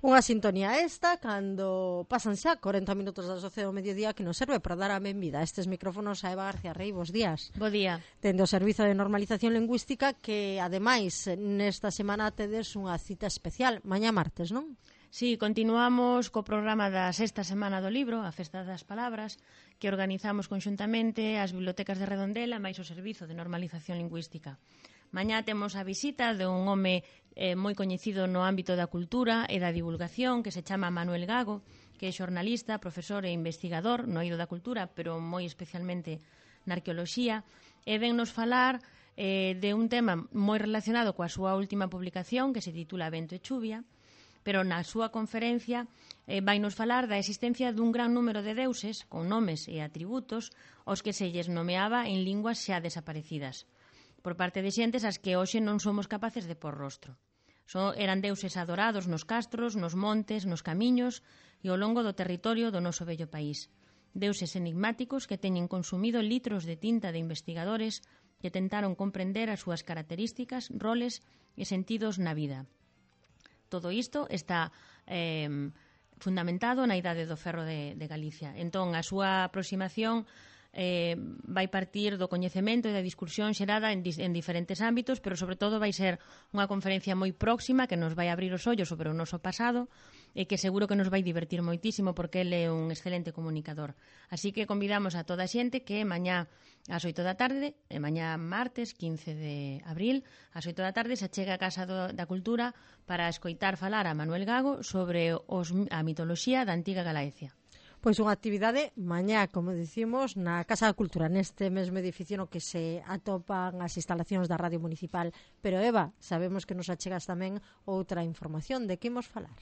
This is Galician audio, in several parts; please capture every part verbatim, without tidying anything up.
Unha sintonía esta cando pasan xa corenta minutos das doce do mediodía que nos serve para dar a benvida a estes micrófonos a Eva García Rey. Bos días. Bo día. Tendo o Servizo de Normalización Lingüística que, ademais, nesta semana tedes unha cita especial, mañá martes, non? Sí, continuamos co programa da sexta semana do libro, a Festa das Palabras, que organizamos conxuntamente as bibliotecas de Redondela máis o Servizo de Normalización Lingüística. Mañá temos a visita de un home eh, moi coñecido no ámbito da cultura e da divulgación que se chama Manuel Gago, que é xornalista, profesor e investigador no eido da cultura, pero moi especialmente na arqueoloxía, e ven nos falar eh, de un tema moi relacionado coa súa última publicación que se titula Vento e Chuvia, pero na súa conferencia eh, vai nos falar da existencia dun gran número de deuses con nomes e atributos aos que se lles nomeaba en linguas xa desaparecidas, por parte de xentes as que hoxe non somos capaces de pôr rostro. So, eran deuses adorados nos castros, nos montes, nos camiños e ao longo do territorio do noso bello país. Deuses enigmáticos que teñen consumido litros de tinta de investigadores que tentaron comprender as súas características, roles e sentidos na vida. Todo isto está eh, fundamentado na Idade do Ferro de, de Galicia. Entón, a súa aproximación eh, vai partir do coñecemento e da discusión xerada en, en diferentes ámbitos, pero sobre todo vai ser unha conferencia moi próxima que nos vai abrir os ollos sobre o noso pasado e que seguro que nos vai divertir moitísimo porque ele é un excelente comunicador. Así que convidamos a toda a xente que mañá ás oito da tarde, e mañá martes quince de abril, ás oito da tarde se achega a Casa do, da Cultura para escoitar falar a Manuel Gago sobre os, a mitoloxía da antiga Galaecia. Pois unha actividade mañá, como dicimos, na Casa da Cultura, neste mesmo edificio no que se atopan as instalacións da Radio Municipal. Pero, Eva, sabemos que nos achegas tamén outra información. De que imos falar?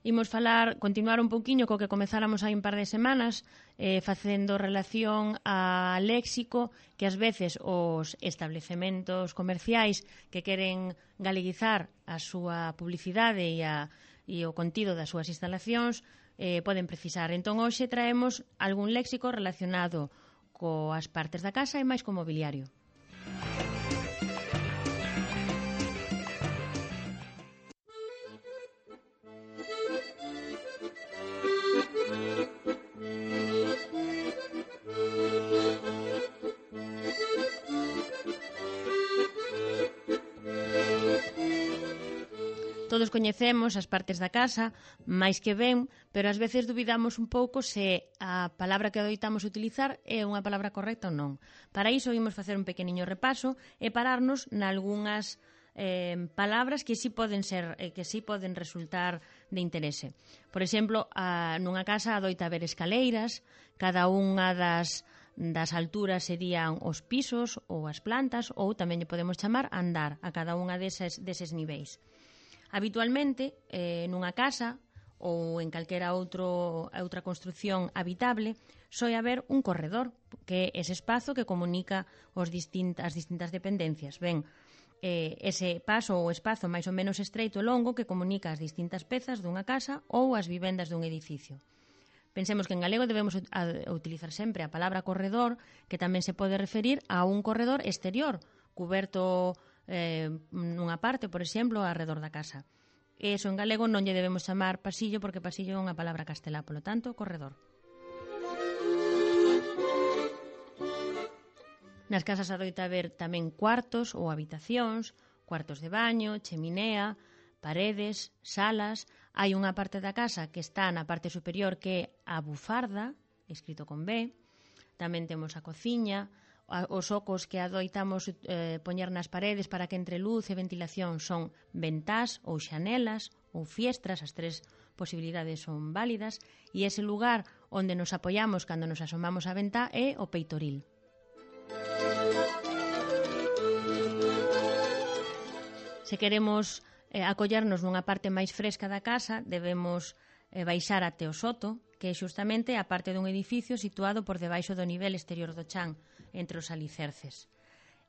Imos falar, continuar un pouquiño co que comezáramos hai un par de semanas, eh, facendo relación a léxico que ás veces os establecementos comerciais que queren galeguizar a súa publicidade e, a, e o contido das súas instalacións eh, poden precisar. Entón, hoxe traemos algún léxico relacionado coas partes da casa e máis co mobiliario. Todos coñecemos as partes da casa, máis que ben, pero ás veces dubidamos un pouco se a palabra que adoitamos utilizar é unha palabra correcta ou non. Para iso imos facer un pequeniño repaso e pararnos nalgunhas eh, palabras que sí poden ser eh, que sí poden resultar de interese. Por exemplo, a, nunha casa adoita haber escaleiras, cada unha das das alturas serían os pisos ou as plantas, ou tamén lle podemos chamar andar a cada unha deses, deses niveis. Habitualmente, eh, nunha casa ou en calquera outro, outra construción habitable, soe haber un corredor, que é ese espazo que comunica os distint, as distintas dependencias. Ben, eh, ese paso ou espazo máis ou menos estreito e longo que comunica as distintas pezas dunha casa ou as vivendas dun edificio. Pensemos que en galego debemos utilizar sempre a palabra corredor, que tamén se pode referir a un corredor exterior, cuberto eh, nunha parte, por exemplo, alrededor da casa. E iso en galego non lle debemos chamar pasillo, porque pasillo é unha palabra castelá, polo tanto, corredor. Nas casas adoita haber tamén cuartos ou habitacións, cuartos de baño, cheminea, paredes, salas. Hai unha parte da casa que está na parte superior que é a bufarda, escrito con B. Tamén temos a cociña, os ocos que adoitamos eh, poñer nas paredes para que entre luz e ventilación son ventás ou xanelas ou fiestras, as tres posibilidades son válidas, e ese lugar onde nos apoiamos cando nos asomamos á ventá é o peitoril. Se queremos eh, acollernos nunha parte máis fresca da casa, debemos eh, baixar até o soto, que é xustamente a parte dun edificio situado por debaixo do nivel exterior do chan, entre os alicerces.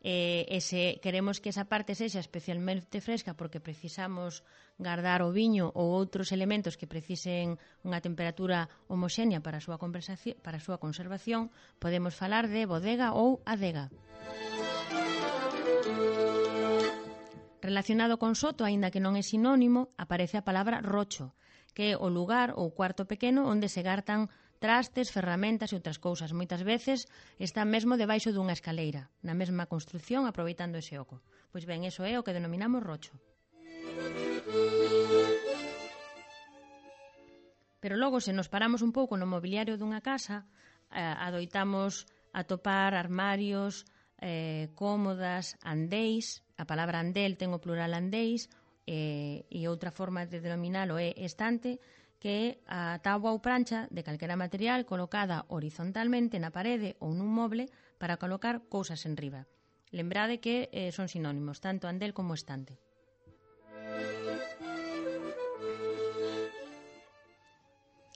E, e se queremos que esa parte sexa especialmente fresca porque precisamos guardar o viño ou outros elementos que precisen unha temperatura homoxénea para a súa, para a súa conservación, podemos falar de bodega ou adega. Relacionado con soto, aínda que non é sinónimo, aparece a palabra rocho, que é o lugar ou cuarto pequeno onde se gartan trastes, ferramentas e outras cousas. Moitas veces está mesmo debaixo dunha escaleira, na mesma construción, aproveitando ese oco. Pois ben, iso é o que denominamos rocho. Pero logo, se nos paramos un pouco no mobiliario dunha casa, eh, adoitamos atopar armarios, eh, cómodas, andéis. A palabra andel ten o plural andéis, eh, e outra forma de denominalo é estante, que é a táboa ou prancha de calquera material colocada horizontalmente na parede ou nun moble para colocar cousas en riba. Lembrade que eh, son sinónimos, tanto andel como estante.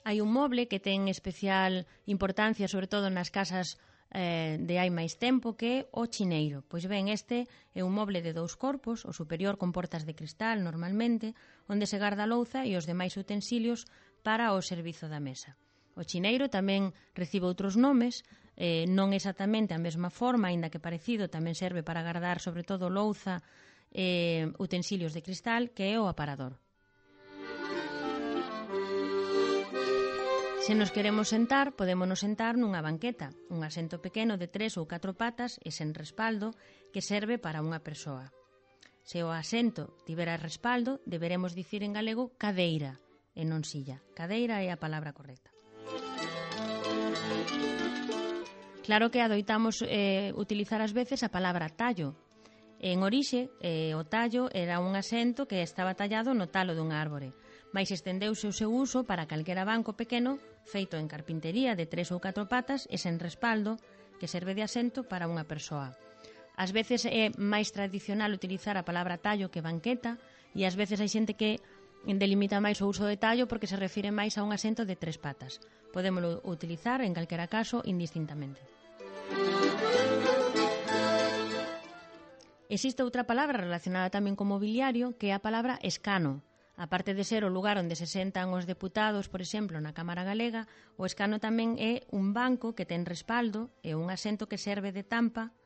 Hai un moble que ten especial importancia, sobre todo nas casas eh, de hai máis tempo, que é o chineiro. Pois ben, este é un moble de dous corpos, o superior con portas de cristal normalmente, onde se garda a louza e os demais utensilios para o servizo da mesa. O chineiro tamén recibe outros nomes, eh, non exactamente a mesma forma, aínda que parecido, tamén serve para gardar sobre todo louza e eh, utensilios de cristal, que é o aparador. Se nos queremos sentar, podémonos sentar nunha banqueta, un asento pequeno de tres ou catro patas e sen respaldo que serve para unha persoa. Se o asento tivera respaldo, deberemos dicir en galego cadeira e non silla. Cadeira é a palabra correcta. Claro que adoitamos eh, utilizar ás veces a palabra tallo. En orixe, eh, o tallo era un asento que estaba tallado no talo dunha árbore, mais estendeuse o seu uso para calquera banco pequeno feito en carpintería de tres ou catro patas e sen respaldo que serve de asento para unha persoa. Ás veces é máis tradicional utilizar a palabra tallo que banqueta e ás veces hai xente que delimita máis o uso de tallo porque se refire máis a un asento de tres patas. Podémolo utilizar en calquera caso indistintamente. Existe outra palabra relacionada tamén con mobiliario que é a palabra escano. Aparte de ser o lugar onde se sentan os deputados, por exemplo, na Cámara Galega, o escano tamén é un banco que ten respaldo e un asento que serve de tampa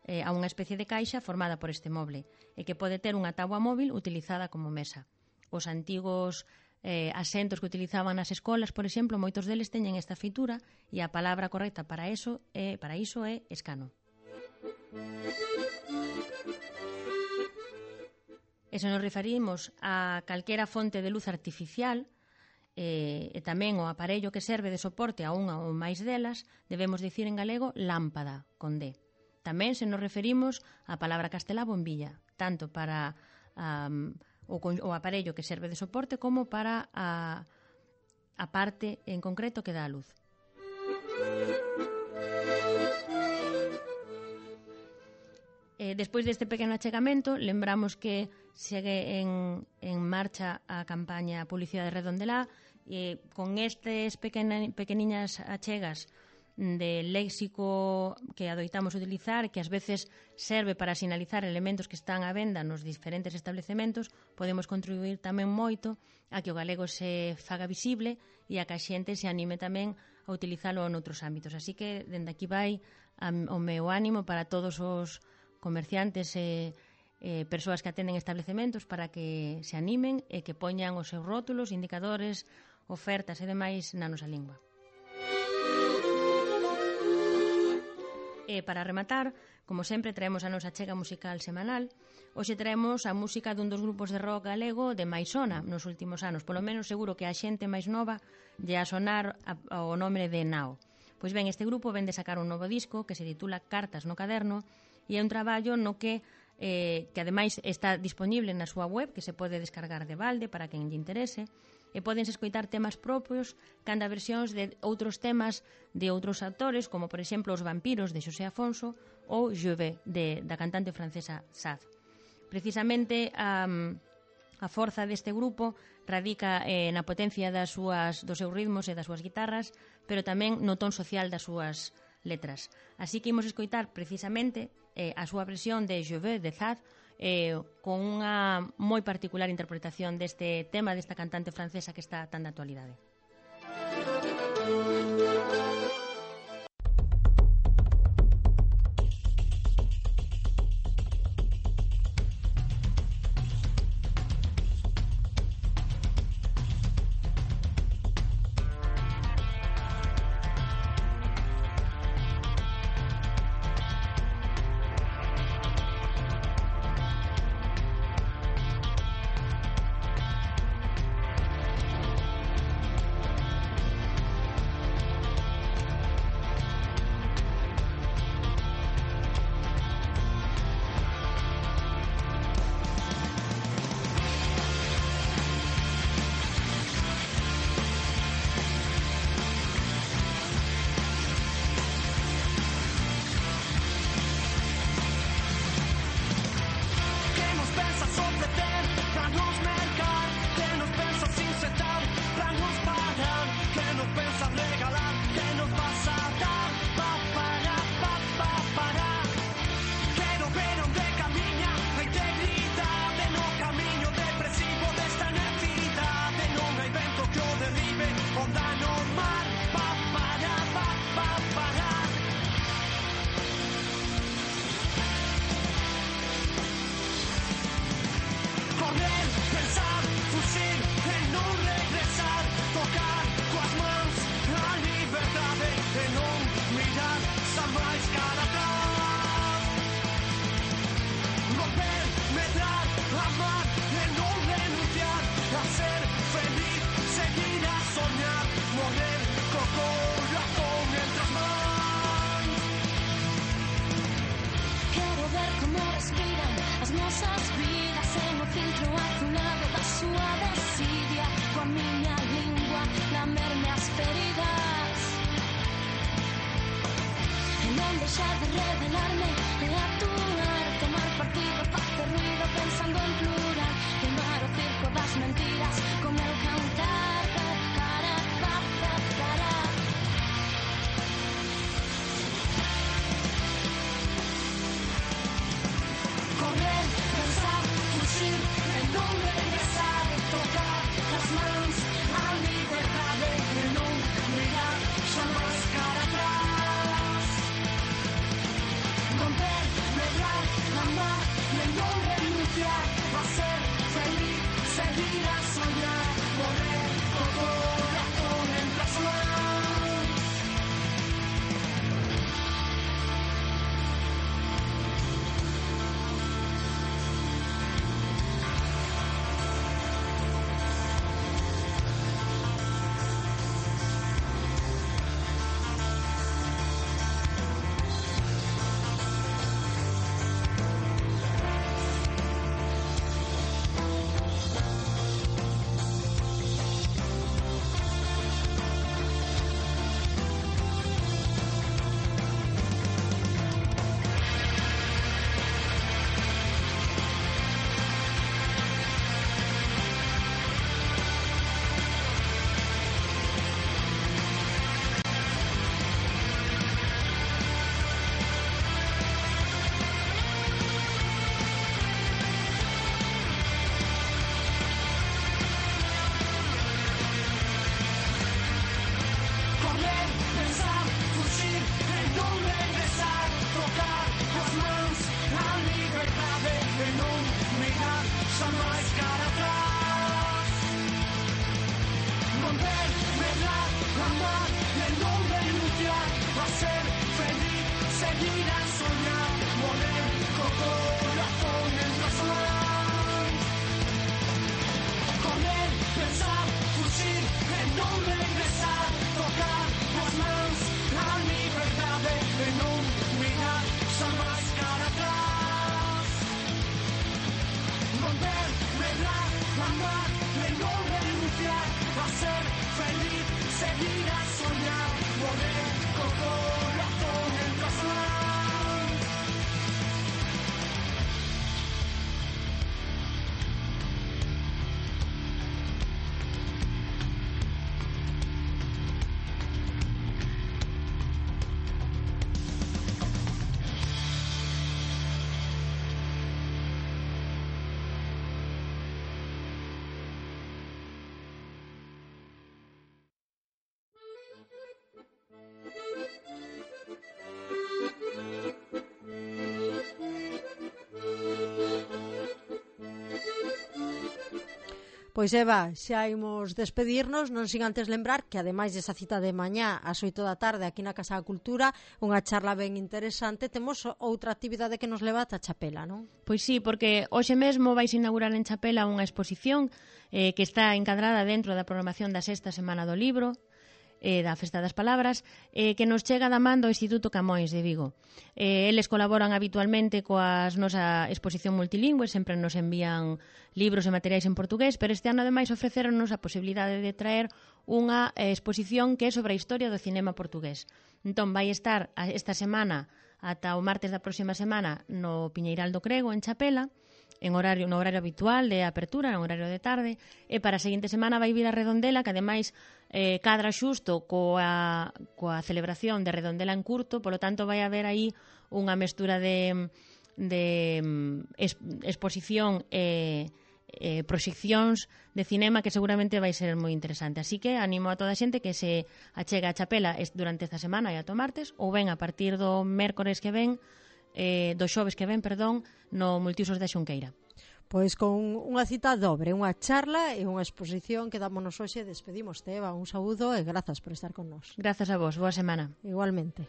eh, a unha especie de caixa formada por este moble e que pode ter unha táboa móvil utilizada como mesa. Os antigos eh, asentos que utilizaban nas escolas, por exemplo, moitos deles teñen esta feitura e a palabra correcta para iso é, para iso é escano. E se nos referimos a calquera fonte de luz artificial eh, e tamén o aparello que serve de soporte a unha ou máis delas, debemos dicir en galego lámpada, con D. Tamén se nos referimos á palabra castelá bombilla, tanto para um, o, o aparello que serve de soporte como para a, a parte en concreto que dá a luz. Eh, despois deste pequeno achegamento, lembramos que segue en, en marcha a campaña Publicidade Redondelá e con estes pequena, pequeniñas achegas de léxico que adoitamos utilizar, que ás veces serve para sinalizar elementos que están á venda nos diferentes establecementos, podemos contribuir tamén moito a que o galego se faga visible e a que a xente se anime tamén a utilizalo noutros ámbitos. Así que, dende aquí vai o meu ánimo para todos os comerciantes e eh, persoas que atenden establecementos para que se animen e que poñan os seus rótulos, indicadores, ofertas e demais na nosa lingua. E para rematar, como sempre, traemos a nosa chega musical semanal. Hoxe traemos a música dun dos grupos de rock galego de máis sona nos últimos anos. Polo menos seguro que a xente máis nova lle a sonar a, o nome de Nao. Pois ben, este grupo ven de sacar un novo disco que se titula Cartas no caderno e é un traballo no que eh, que ademais está disponible na súa web, que se pode descargar de balde para quen lle interese, e podense escoitar temas propios canda versións de outros temas de outros autores, como por exemplo Os vampiros de Xosé Afonso ou Je vais de, da cantante francesa Saz. Precisamente a, a forza deste grupo radica eh, na potencia das súas, dos seus ritmos e das súas guitarras, pero tamén no ton social das súas letras. Así que imos escoitar precisamente eh, a súa versión de Je vais de Saz, eh, con unha moi particular interpretación deste tema desta cantante francesa que está tan de actualidade. máis cara atrás. Romper, medrar, amar e non renunciar a ser feliz, seguir a soñar, morrer co corazón entre as mans. Quero ver como respiran as nosas vidas en o filtro azulado da súa desidia, coa miña lingua lamerme as feridas e non deixar de revelarme e actuar, tomar partido, facer ruido pensando en plural, queimar o circo das mentiras con el cantar para, para, para. Correr, pensar, fuxir e non regresar, tocar as mans a liberdade e non mirar xa máis cara atrás. Romper, medrar, amar e non renunciar a ser feliz, seguir a soñar, morrer co corazón entre as mans. Correr, pensar, fuxir e non regresar, tocar as mans a liberdade e non mirar xa máis cara atrás. Romper, medrar, amar e non renunciar a ser feliz, seguir a soñar, morrer co corazón entre as mans. Correr, pensar, fuxir e non regresar, tocar as mans a liberdade e non mirar xa máis cara atrás. Romper, medrar, amar e non renunciar a ser feliz, seguir a soñar, morrer co corazón entre as mans. Pois Eva, xa imos despedirnos, non sin antes lembrar que ademais desa cita de mañá ás oito da tarde aquí na Casa da Cultura, unha charla ben interesante, temos outra actividade que nos leva ata Chapela, non? Pois sí, porque hoxe mesmo vais inaugurar en Chapela unha exposición eh, que está encadrada dentro da programación da sexta Semana do Libro, eh, da Festa das Palabras, eh, que nos chega da man do Instituto Camões de Vigo. Eh, eles colaboran habitualmente coas nosa exposición multilingüe, sempre nos envían libros e materiais en portugués, pero este ano ademais ofreceronnos a posibilidade de traer unha eh, exposición que é sobre a historia do cinema portugués. Entón, vai estar esta semana ata o martes da próxima semana no Piñeiral do Crego, en Chapela, en horario no horario habitual de apertura, en horario de tarde, e para a seguinte semana vai vir a Redondela, que ademais eh, cadra xusto coa, coa celebración de Redondela en curto, polo tanto vai haber aí unha mestura de, de es, exposición e eh, proxeccións de cinema que seguramente vai ser moi interesante. Así que animo a toda a xente que se achega a Chapela durante esta semana e ata o martes, ou ben a partir do mércores que ven, eh, do xoves que ven, perdón, no Multiusos da Xunqueira. Pois con unha cita dobre, unha charla e unha exposición que dámonos hoxe. Despedimos, Eva, un saúdo e grazas por estar con nós. Grazas a vos, boa semana. Igualmente.